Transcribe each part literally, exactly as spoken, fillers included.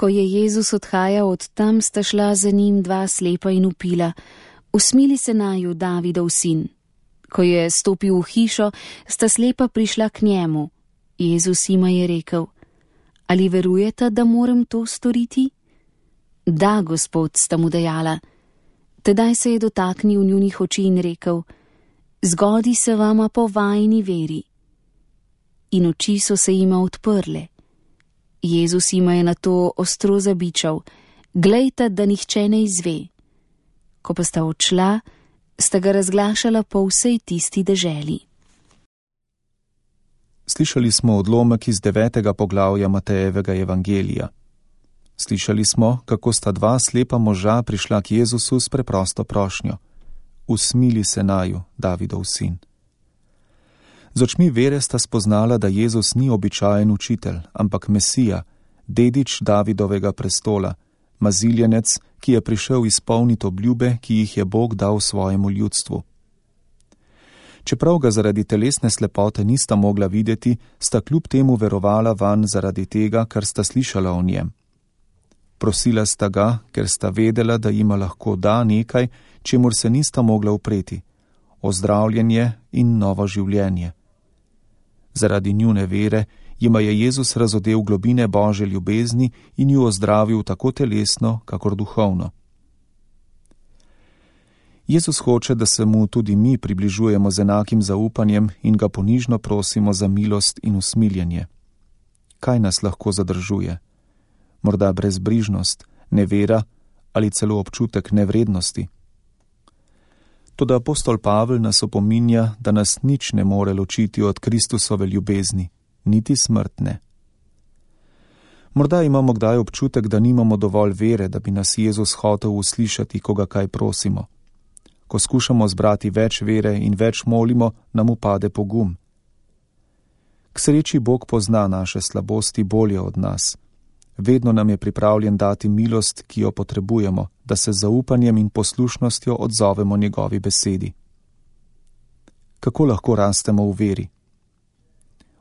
Ko je Jezus odhajal od tam, sta šla za njim dva slepa in vpila: Usmili se naju, Davidov sin. Ko je stopil v hišo, sta slepa prišla k njemu. Jezus jima je rekel: Ali verujete, da moram to storiti? Da, Gospod, sta mu dejala. Tedaj se je dotaknil njunih oči in rekel: Zgodi se vama po vajini veri. In oči so se jima odprle. Jezus jima je na to ostro zabičal: Glejte, da nihče ne izve. Ko pa sta odšla, sta ga razglašala po vsej tisti deželi. Slišali smo odlomek iz devetega poglavja Matejevega evangelija. Slišali smo, kako sta dva slepa moža prišla k Jezusu s preprosto prošnjo: Usmili se naju, Davidov sin. Z očmi vere sta spoznala, da Jezus ni običajen učitelj, ampak Mesija, dedič Davidovega prestola, maziljenec, ki je prišel izpolniti obljube, ki jih je Bog dal svojemu ljudstvu. Čeprav ga zaradi telesne slepote nista mogla videti, sta kljub temu verovala vanj zaradi tega, kar sta slišala o njem. Prosila sta ga, ker sta vedela, da jima lahko da nekaj, čemur se nista mogla upreti: ozdravljenje in novo življenje. Zaradi njune vere jima je Jezus razodel globine Božje ljubezni in ju ozdravil tako telesno, kakor duhovno. Jezus hoče, da se mu tudi mi približujemo z enakim zaupanjem in ga ponižno prosimo za milost in usmiljenje. Kaj nas lahko zadržuje? Morda brezbrižnost, nevera ali celo občutek nevrednosti? Toda apostol Pavel nas opominja, da nas nič ne more ločiti od Kristusove ljubezni, niti smrtne. Morda imamo kdaj občutek, da nimamo dovolj vere, da bi nas Jezus hotel uslišati, ko ga kaj prosimo. Ko skušamo zbrati več vere in več molimo, nam upade pogum. K sreči Bog pozna naše slabosti bolje od nas. Vedno nam je pripravljen dati milost, ki jo potrebujemo, da se z zaupanjem in poslušnostjo odzovemo njegovi besedi. Kako lahko rastemo v veri?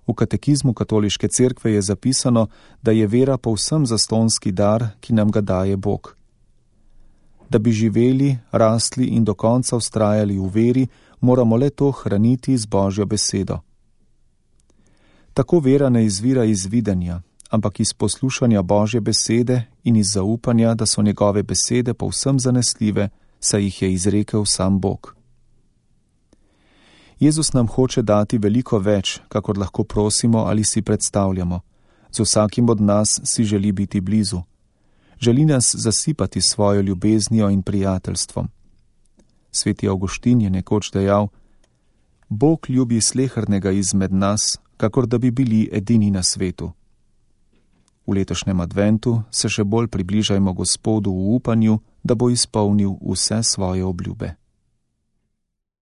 V katekizmu Katoliške cerkve je zapisano, da je vera povsem zastonski dar, ki nam ga daje Bog. Da bi živeli, rastli in do konca vztrajali v veri, moramo le to hraniti z Božjo besedo. Tako vera ne izvira iz videnja, ampak iz poslušanja Božje besede in iz zaupanja, da so njegove besede povsem zanesljive, saj jih je izrekel sam Bog. Jezus nam hoče dati veliko več, kakor lahko prosimo ali si predstavljamo. Z vsakim od nas si želi biti blizu. Želi nas zasipati svojo ljubeznijo in prijateljstvom. Sveti Avguštin je nekoč dejal: Bog ljubi slehernega izmed nas, kakor da bi bili edini na svetu. V letošnjem adventu se še bolj približajmo Gospodu v upanju, da bo izpolnil vse svoje obljube.